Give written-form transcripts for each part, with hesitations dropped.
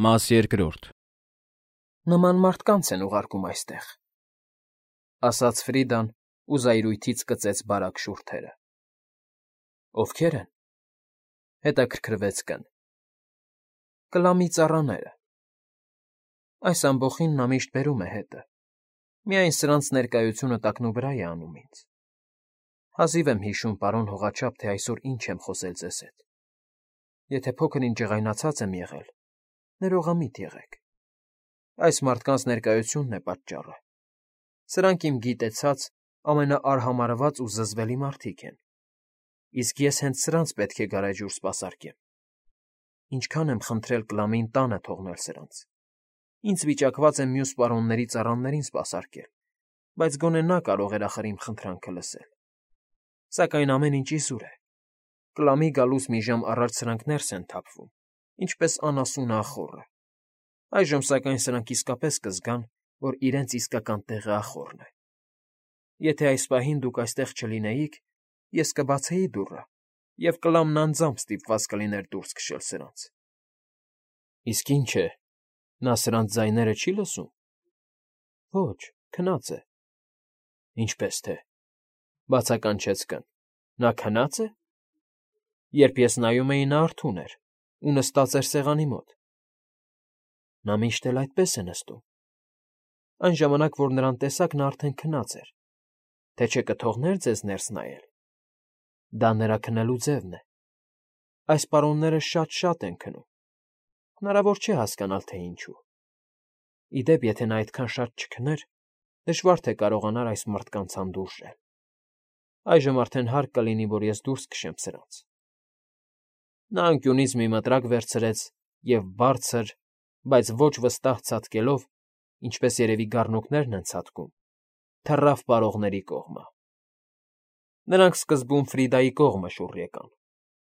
Մաս երկրորդ Նման մարդկանց են ուղարկում այստեղ, ասաց Ֆրիդան ու զայրույթից կծեց բարակ շուրթերը։ Ովքեր են, հետաքրքրվեց Կն։ Կլամի ծառաները։ Այս ամբոխին նա միշտ բերում է հետը, միայն սրանց ներկայությունը տակնուվրա է անում ինձ։ Հազիվ եմ հիշում, պարոն հողաչափ, թե այսօր ինչ եմ խոսել ձեզ հետ։ Եթե փոքր-ինչ ջղայնացած եմ եղել, ներողամիտ եղեք։ Այս մարդկանց ներկայությունն է պատճառը։ Սրանք իմ գիտեցած ամենաարհամարհված ու զզվելի մարդիկ են, իսկ ես հենց սրանց պետք է գարեջուր սպասարկեմ։ Ինչքան եմ խնդրել Կլամին տանը թողնել սրանց։ Ինձ վիճակված եմ մյուս պարոնների ծառաներին սպասարկել, բայց գոնե նա կարող էր ախր իմ խնդրանքը լսել։ Սակայն ամեն ինչ իզուր է։ Կլամի գալուց մի ժամ առաջ սրանք ներս են թափվում, ինչպես անասունը ախոռը։ Այժմ սակայն սրանք իսկապես կզգան, որ իրենց իսկական տեղը ախոռն է։ Եթե այս պահին դուք այստեղ չլինեիք, ես կբացեի դուռը, և Կլամն անձամբ ստիպված կլիներ դուրս քշել սրանց։ Իսկ ինչ է, նա սրանց ձայները չի լսում։ Ոչ, քնած է։ Ինչպես թե, բացականչեց Կն։ Նա քնած է։ Երբ ես նայում էի, նա արթուն էր ու նստած էր սեղանի մոտ։ Նա միշտ էլ այդպես է նստում։ Այն ժամանակ, որ նրան տեսաք, նա արդեն քնած էր, թե չէ կթողներ ձեզ ներս նայել։ Դա նրա քնելու ձևն է։ Այս պարոնները շատ են քնում։ Հնարավոր չէ հասկանալ, թե ինչու։ Ի դեպ, եթե նա այդքան շատ չքներ, դժվար թե կարողանար այս մարդկանց հանդուրժել։ Այժմ արդեն հարկ կլինի, որ ես դուրս քշեմ սրանց։ Նա անկյունից մի մտրակ վերցրեց և բարձր, բայց ոչ վստահ ցատկելով, ինչպես երևի գառնուկներն են ցատկում, թռավ պարողների կողմը։ Նրանք սկզբում Ֆրիդայի կողմը շուռ եկան,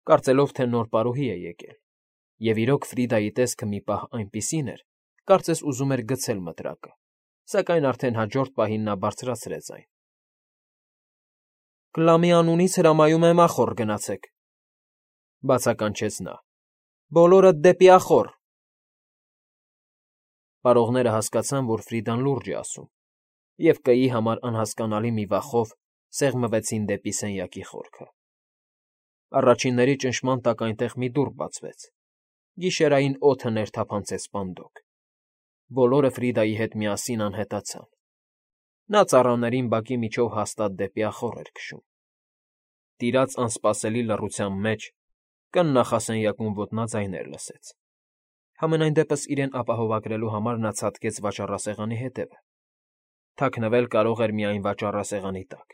կարծելով, թե նոր պարուհի է եկել, և իրոք Ֆրիդայի տեսքը մի պահ այնպիսին էր, կարծես ուզում էր գցել մտրակը, սակայն արդեն հաջորդ պահին նա բարձրացրեց այն։ Կլամի անունից հրամայում եմ ախոռ գնացեք, բացականչեց նա։ Բոլորդ դեպի ախոռ։ Պարողները հասկացան, որ Ֆրիդան լուրջ է ասում, և կայի համար անհասկանալի մի վախով սեղմվեցին դեպի սենյակի խորքը։ Առաջինների ճնշման տակ այնտեղ մի դուռ բացվեց։ Գիշերային օդը ներթափանցեց պանդոկ։ Բոլորը Ֆրիդայի հետ միասին անհետացան։ Նա ծառաներին բակի միջով հաստատ դեպի ախոռ էր քշում։ Տիրած անսպասելի լռության մեջ Կն նախասենյակում ոտնաձայներ լսեց։ Համենայն դեպս իրեն ապահովագրելու համար նա ցատկեց վաճառասեղանի հետևը։ Թաքնվել կարող էր միայն վաճառասեղանի տակ։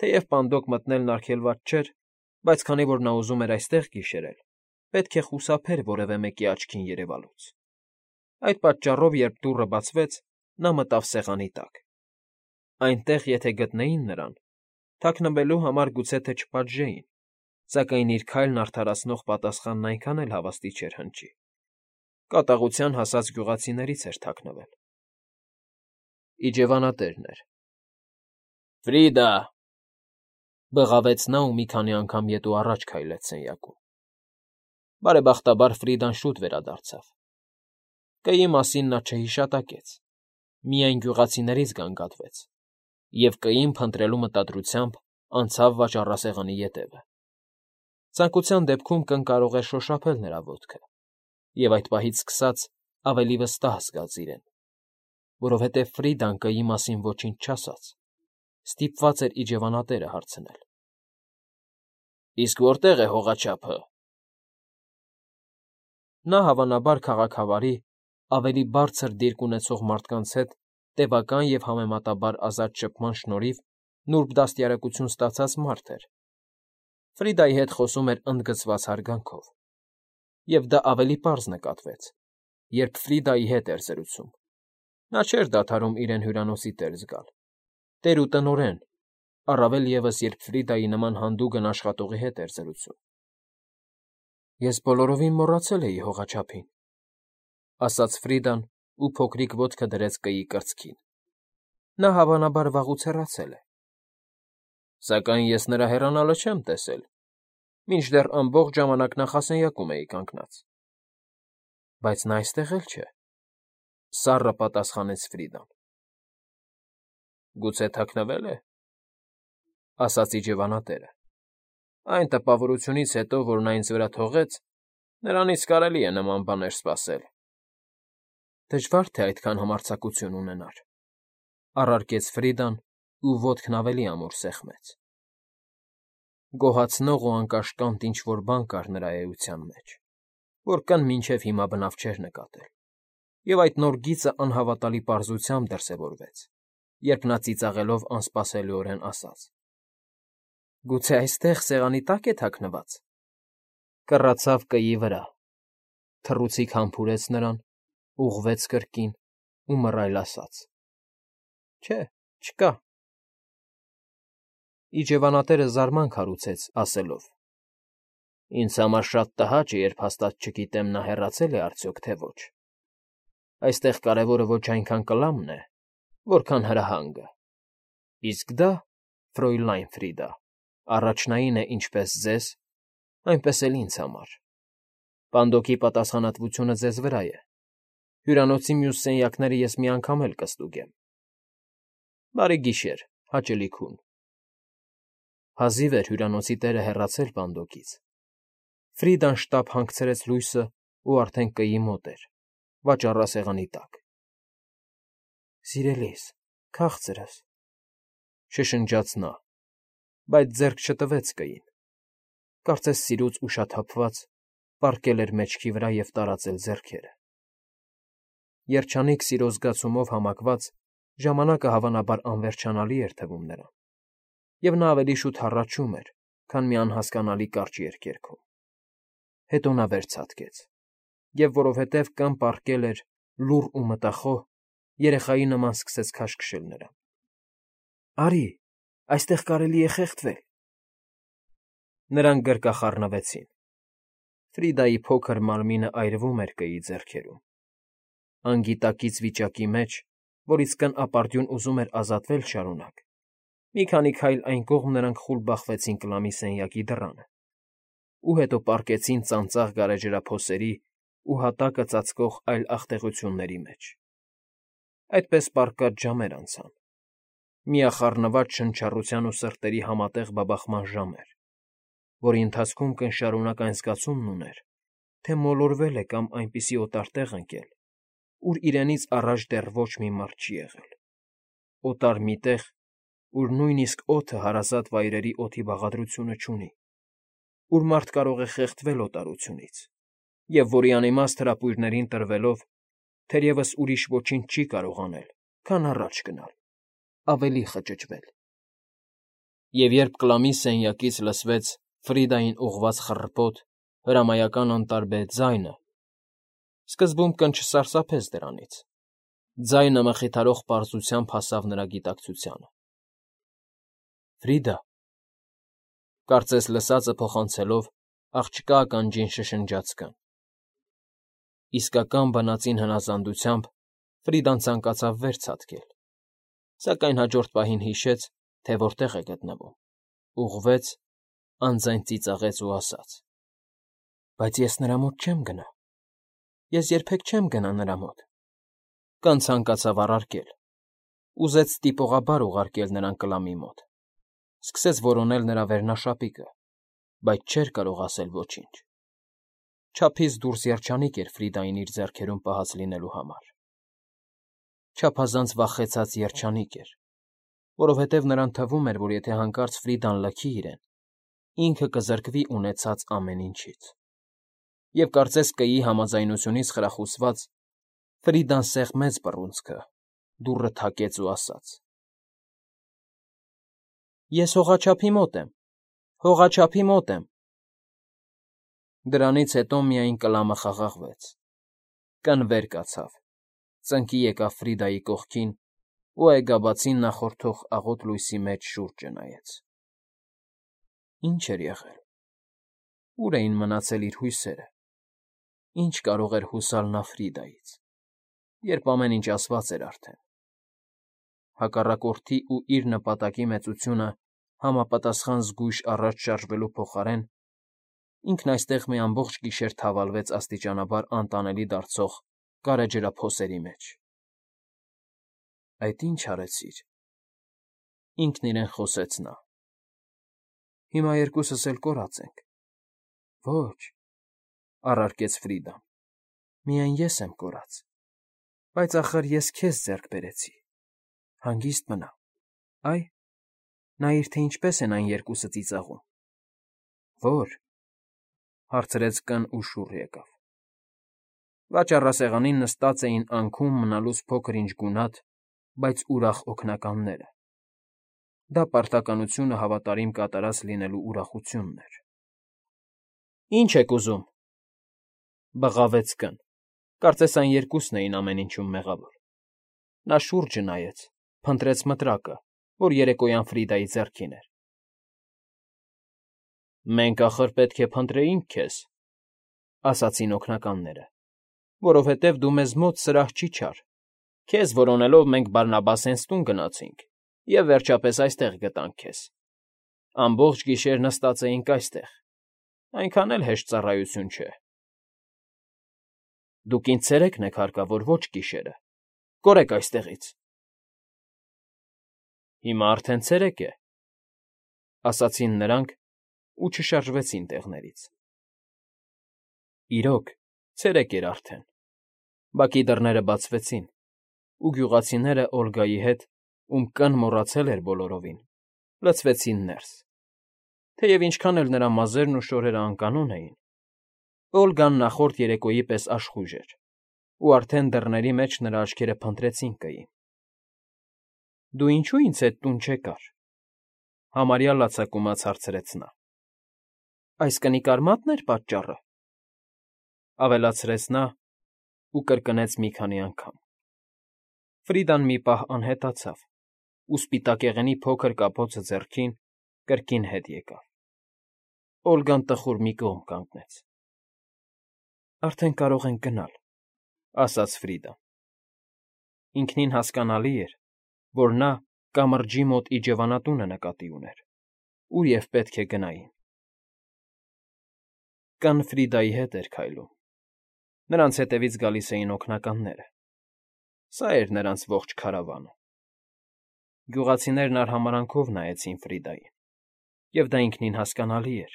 Թեև պանդոկ մտնելն արգելված չէր, բայց քանի որ նա ուզում էր այստեղ գիշերել, պետք է խուսափեր որևէ մեկի աչքին երևալուց։ Այդ պատճառով, երբ դուռը բացվեց, նա մտավ սեղանի տակ։ Այնտեղ, եթե գտնեին նրան, թաքնվելու համար գուցե թե չպատժեին, սակայն իր քայլն արդարացնող պատասխանն այնքան էլ հավաստի չէր հնչի։ Կատաղության հասած գյուղացիներից էր թաքնվել։ Իջևանատերն էր։ Ֆրիդա, բղավեց նա ու մի քանի անգամ ետ ու առաջ քայլեց սենյակում։ Բարեբախտաբար Ֆրիդան շուտ վերադարձավ։ Կայի մասին նա չհիշատակեց, միայն գյուղացիներից գանգատվեց, և կային փնտրելու մտադրությամբ անցավ վաճառասեղանի ետևը։ Ցանկության դեպքում Կն կարող էր շոշափել նրա ոտքը, և այդ պահից սկսած ավելի վստահ զգաց իրեն, որովհետև Ֆրիդան կայի մասին ոչինչ չասաց, ստիպված էր իջևանատերը հարցնել։ Իսկ որտե՞ղ է հողաչափը։ Նա, հավանաբար, քաղաքավարի, ավելի բարձր դիրք ունեցող մարդկանց հետ տևական և համեմատաբար ազատ շփման շնորհիվ նուրբ դաստիարակություն ստացած մարդ էր։ Ֆրիդայի հետ խոսում էր ընդգծված հարգանքով, և դա ավելի պարզ նկատվեց, երբ Ֆրիդայի հետ էր զրուցում։ Նա չէր դադարում իրեն հյուրանոցի տեր զգալ, տեր ու տնօրեն, առավել ևս, երբ Ֆրիդայի նման հանդուգն աշխատողի հետ էր զրուցում։ Ես բոլորովին մոռացել էի հողաչափին, ասաց Ֆրիդան ու փոքրիկ ոտքը դրեց կայի կրծքին։ Նա, հավանաբար, վաղուց հեռացել է։ Սակայն ես նրա հեռանալը չեմ տեսել, մինչդեռ ամբողջ ժամանակ նախասենյակում էի կանգնած։ Բայց նա այստեղ էլ չէ,֊ սառը պատասխանեց Ֆրիդան։ Գուցե թաքնվե՞լ է,֊ ասաց իջևանատերը։ Այն տպավորությունից հետո, որ նա ինձ վրա թողեց, նրանից կարելի է նման բաներ սպասել։ Դժվար թե այդքան համարձակություն ունենար,֊ առարկեց Ֆրիդան ու ոտքն ավելի ամուր սեղմեց։ Գոհացնող ու անկաշկանդ ինչ֊որ բան կար նրա էության մեջ, որ Կն մինչև հիմա բնավ չէր նկատել, և այդ նոր գիծը անհավատալի պարզությամբ դրսևորվեց, երբ նա ծիծաղելով անսպասելիորեն ասաց. Գուցե այստեղ սեղանի տակ է թաքնված։ Կռացավ կեի վրա, թռուցիկ համբուրեց նրան, ուղղվեց կրկին ու մռայլ ասաց. Չէ, չկա։ Իջևանատերը զարմանք հարուցեց, ասելով. Ինձ համար շատ տհաճ է, երբ հաստատ չգիտեմ նա հեռացել է արդյոք, թե ոչ։ Այստեղ կարևորը ոչ այնքան կլամն է, որքան հրահանգը։ Իսկ դա, Ֆրոյլայն Ֆրիդա, առաջնային է ինչպես ձեզ, այնպես էլ ինձ համար։ Պանդոկի պատասխանատվությունը ձեզ վրա է։ Հյուրանոցի մյուս սենյակները ես մի անգամ էլ կստուգեմ։ Բարի գիշեր, հաճելի քուն։ Հազիվ էր հյուրանոցի տերը հեռացել պանդոկից։ Ֆրիդան շտապ հանգցրեց լույսը ու արդեն կեի մոտ էր, վաճառասեղանի տակ։ Սիրելիս, քաղցրս,֊ շշնջաց նա, բայց ձեռք չտվեց կեին։ Կարծես սիրուց ուշաթափված, պառկել էր մեջքի վրա և տարածել ձեռքերը։ Երջանիկ սիրո զգացումով համակված ժամանակը հավանաբար անվերջանալի էր թվում նրան, և նա ավելի շուտ հառաչում էր, քան մի անհասկանալի կարճ երգերքում։ Հետո նա վեր ցատկեց, և որովհետև Կն պառկել էր լուռ ու մտախոհ, երեխայի նման սկսեց քաշքշել նրան։ Արի, այստեղ կարելի է խեղդվել։ Նրանք գրկախառնվեցին։ Ֆրիդայի փոքր մարմինը այրվում էր կեի ձեռքերում։ Անգիտակից վիճակի մեջ, որից Կն ապարդյուն ուզում էր ազատվել շարունակ, մի քանի քայլ այն կողմ նրանք խուլ բախվեցին Կլամի սենյակի դռանը ու հետո պառկեցին ծանծաղ գարեջրափոսերի ու հատակը ծածկող այլ աղտեղությունների մեջ։ Այդպես պառկած ժամեր անցան։ Միախառնված շնչառության ու սրտերի համատեղ բաբախման ժամեր, որի ընթացքում Կն շարունակ այն զգացումն ուներ, թե մոլորվել է կամ այնպիսի օտար տեղ ընկել, ուր իրենից առաջ դեռ ոչ մի մարդ չի եղել։ Օտար մի տեղ, ուր նույնիսկ օդը հարազատ վայրերի օդի բաղադրությունը չունի, ուր մարդ կարող է խեղդվել օտարությունից, և որի անիմաստ հրապույրներին տրվելով թերևս ուրիշ ոչինչ չի կարող անել, քան առաջ գնալ, ավելի խճճվել։ Եվ երբ Կլամի սենյակից լսվեց Ֆրիդային ուղղված խռպոտ, հրամայական անտարբեր ձայնը, սկզբում Կն չսարսափեց դրանից։ Ձայնը մխիթարող պարզությամբ հասավ նրա գիտակցությանը։ Ֆրիդա,֊ կարծես լսածը փոխանցելով, աղջկա ականջին շշնջաց Կն։ Իսկական բնածին հնազանդությամբ Ֆրիդան ցանկացավ վեր ցատկել, սակայն հաջորդ պահին հիշեց, թե որտեղ է գտնվում, ուղղվեց, անձայն ծիծաղեց ու ասաց. Բայց ես նրա մոտ չեմ գնա։ Ես երբեք չեմ գնա նրա մոտ։ Կն ցանկացավ առարկել, ուզեց տիպողաբար ուղարկել նրան Կլամի մոտ, սկսեց որոնել նրա վերնաշապիկը, բայց չէր կարող ասել ոչինչ։ Չափից դուրս երջանիկ էր Ֆրիդային իր ձեռքերում պահած լինելու համար։ Չափազանց վախեցած երջանիկ էր, որովհետև նրան թվում էր, որ եթե հանկարծ Ֆրիդան լքի իրեն, ինքը կզրկվի ունեցած ամեն ինչից։ Եվ կարծես կեի համաձայնությունից խրախուսված, Ֆրիդան սեղմեց բռունցքը, դուռը թակեց ու ասաց. Ես հողաչափի մոտ եմ, հողաչափի մոտ եմ։ Դրանից հետո միայն Կլամը խաղաղվեց։ Կն վեր կացավ, ծնկի եկավ Ֆրիդայի կողքին ու այգաբացին նախորդող աղոտ լույսի մեջ շուրջը նայեց։ Ինչ էր եղել։ Ուր էին մնացել իր հույսերը։ Ինչ կարող էր հուսալ նա Ֆրիդայից, երբ ամեն ինչ ասված էր արդեն։ Հակառակորդի ու իր նպատակի մեծությունը համապատասխան զգույշ առաջ շարժվելու փոխարեն ինքն այստեղ մի ամբողջ գիշեր թավալվեց աստիճանաբար անտանելի դարձող կարեջրափոսերի մեջ։ Այդ ի՞նչ արեցիր,֊ ինքն իրեն խոսեց նա։ Հիմա երկուսս էլ կորած ենք։ Ոչ,֊ առարկեց Ֆրիդան, միայն ես եմ կորած, բայց ախր ես քեզ ձեռք բերեցի, հանգիստ մնա, այ, նայիր, թե ինչպես են այն երկուսը ծիծաղում։ Ո՞ր,֊ հարցրեց կն ու շուռ եկավ։ Վաճառասեղանին նստած էին անքուն մնալուց փոքր-ինչ գունատ, բայց ուրախ օգնականները։ Դա պարտականությունը հավատարիմ կատարած լինելու ուրախությունն էր։ Ի՞նչ եք ուզում,֊ բղավեց կն, կարծես այն երկուսն էին ամեն ինչում մեղավոր։ Նա շուրջը նայեց, փնտրեց մտրակը, որ երեկոյան Ֆրիդայի ձեռքին էր։ Մենք, ախր, պետք է փնտրեինք քեզ,֊ ասացին օգնականները, որովհետև դու մեզ մոտ սրահ չի չար։ Քեզ որոնելով մենք Բարնաբասենց տուն գնացինք և, վերջապես, այստեղ գտանք քեզ։ Ամբողջ գիշեր նստած էինք այստեղ, այնքան էլ հեշտ ծառայություն չէ։ Դուք ինձ ցերեկն եք հարկավոր, ոչ գիշերը, կորեք այստեղից։ Հիմա արդեն ցերեկ է,֊ ասացին նրանք ու չշարժվեցին տեղներից։ Իրոք, ցերեկ էր արդեն։ Բակի դռները բացվեցին, ու գյուղացիները Օլգայի հետ, ում կն մոռացել էր բոլորովին, լցվեցին ներս։ Թեև ինչքան էլ նրա մազերն ու շորերը անկանոն էին, Օլգան նախորդ երեկոյի պես աշխույժ էր, ու արդեն դռների մեջ նրա աչքերը փնտրեցին կային։ Դու ինչո՞ւ ինձ հետ տուն չեկար,֊ համարյա լացակումած հարցրեց նա։ Այս կնիկարմա՞տն էր պատճառը,֊ ավելացրեց նա ու կրկնեց մի քանի անգամ։ Ֆրիդան մի պահ անհետացավ ու սպիտակեղենի փոքր կապոցը ձեռքին կրկին հետ եկավ։ Օլգան տխուր մի կողմ կանգնեց։ Արդեն կարող ենք գնալ,֊ ասաց Ֆրիդան։ Ինքնին հասկանալի էր, որ նա կամրջի մոտ իջևանատունը նկատի ուներ, ուր և պետք է գնային։ Կն Ֆրիդայի հետ էր քայլում։ Նրանց հետևից գալիս էին օգնականները։ Սա էր նրանց ողջ քարավանը։ Գյուղացիներն արհամարհանքով նայեցին Ֆրիդային, և դա ինքնին հասկանալի էր,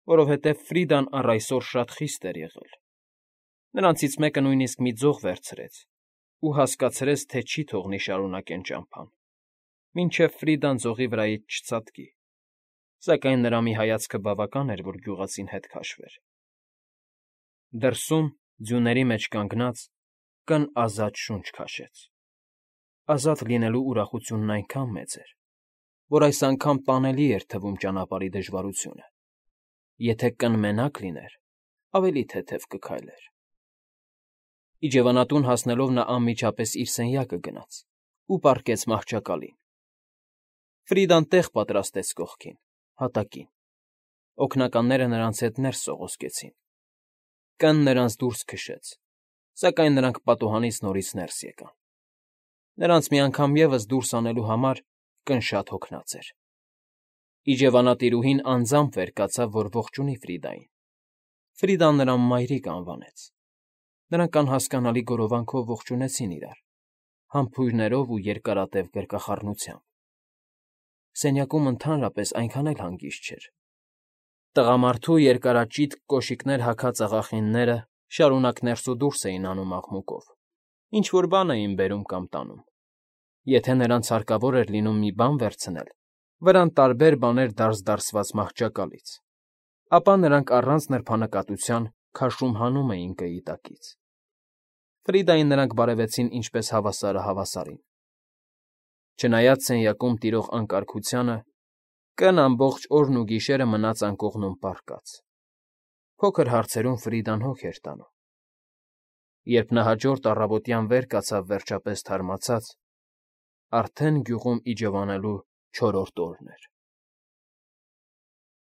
որովհետև Ֆրիդան առ այսօր շատ խիստ էր եղել։ Նրանցից մեկը նույնիսկ մի ձող վերցրեց ու հասկացրեց, թե չի թողնի շարունակեն ճամփան, մինչև Ֆրիդան ձողի վրայից չցատկի, սակայն նրա մի հայացքը բավական էր, որ գյուղացին հետ քաշվեր։ Դրսում, ձյուների մեջ կանգնած, կն ազատ շունչ քաշեց։ Ազատ լինելու ուրախությունն այնքան մեծ էր, որ այս անգամ տանելի էր թվում ճանապարհի դժվարությունը։ Եթե կն մենակ լիներ, ավելի թեթև կքայլեր։ Իջևանատուն հասնելով նա անմիջապես իր սենյակը գնաց ու պառկեց մահճակալին։ Ֆրիդան տեղ պատրաստեց կողքին, հատակին։ Օգնականները նրանց հետ ներս սողոսկեցին։ Կն նրանց դուրս քշեց, սակայն նրանք պատուհանից նորից ներս եկան։ Նրանց մի անգամ ևս դուրս անելու համար կն շատ հոգնած էր։ Իջևանատիրուհին անձամբ վեր կացավ, որ ողջունի Ֆրիդային։ Ֆրիդան նրան մայրիկ անվանեց։ Նրանք անհասկանալի գորովանքով ողջունեցին իրար, համբույրներով ու երկարատև գրկախառնությամբ։ Սենյակում ընդհանրապես այնքան էլ հանգիստ չէր։ Տղամարդու երկարաճիտ կոշիկներ հագած աղախինները շարունակ ներս ու դուրս էին անում աղմուկով, ինչ֊որ բան էին բերում կամ տանում։ Եթե նրանց հարկավոր էր լինում մի բան վերցնել, վրան տարբեր բաներ դարս֊դարսված մահճակալից, ապա նրանք առանց նրբանկատության քաշում֊հանում էին կայի տակից։ Ֆրիդային նրանք բարևեցին ինչպես հավասարը հավասարին։ Չնայած սենյակում տիրող անկարգությանը, կն ամբողջ օրն ու գիշերը մնաց անկողնում պառկած։ Փոքր հարցերում Ֆրիդան հոգ էր տանում։ Երբ նա հաջորդ առավոտյան վեր կացավ վերջապես թարմացած, արդեն գյուղում իջևանելու չորրորդ օրն էր։